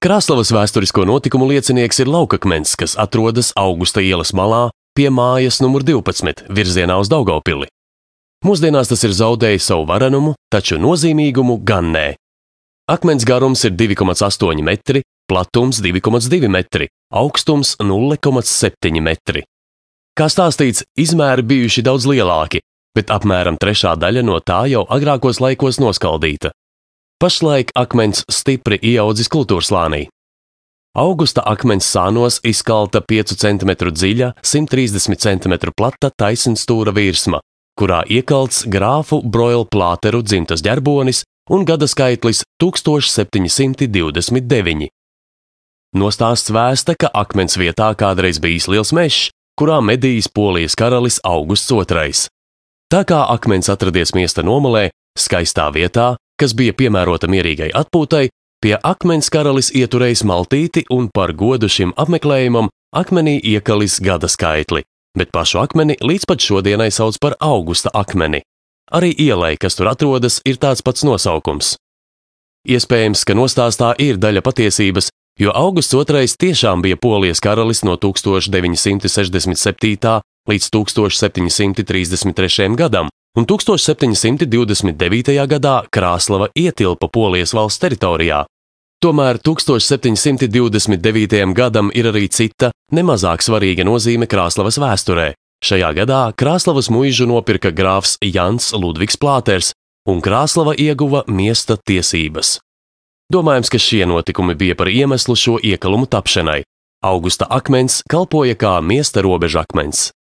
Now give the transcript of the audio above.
Krāslavas vēsturisko notikumu liecinieks ir laukakmens, kas atrodas Augusta ielas malā pie mājas numur 12 virzienā uz Daugavpili. Mūsdienās tas ir zaudējis savu varenumu, taču nozīmīgumu gan nē. Akmens garums ir 2,8 metri, platums 2,2 metri, augstums 0,7 metri. Kā stāstīts, izmēri bijuši daudz lielāki, bet apmēram trešā daļa no tā jau agrākos laikos noskaldīta. Pašlaik akmens stipri ieaudzis kultūrslānī. Augusta akmens sānos izkalta 5 cm dziļa, 130 cm plata taisnstūra virsma, kurā iekalts grāfu Broila Plāteru dzimtas ģerbonis un gada skaitlis 1729. Nostāsts vēsta, ka akmens vietā kādreiz bijis liels mežs, kurā medījis Polijas karalis Augusts II. Tā kā akmens atradies miesta nomalē, skaistā vietā, kas bija piemērota mierīgai atpūtai, pie akmens karalis ieturējis maltīti un par godu šim apmeklējumam akmenī iekalis gada skaitli, bet pašu akmeni līdz pat šodienai sauc par Augusta akmeni. Arī ielai, kas tur atrodas, ir tāds pats nosaukums. Iespējams, ka nostāstā ir daļa patiesības, jo Augusts II tiešām bija Polijas karalis no 1967. līdz 1733. gadam, un 1729. gadā Krāslava ietilpa Polijas valsts teritorijā. Tomēr 1729. gadam ir arī cita, nemazāk svarīga nozīme Krāslavas vēsturē. Šajā gadā Krāslavas muižu nopirka grāfs Jans Ludvigs Plāters, un Krāslava ieguva miesta tiesības. Domājams, ka šie notikumi bija par iemeslu šo iekalumu tapšanai. Augusta akmens kalpoja kā miesta robežakmens.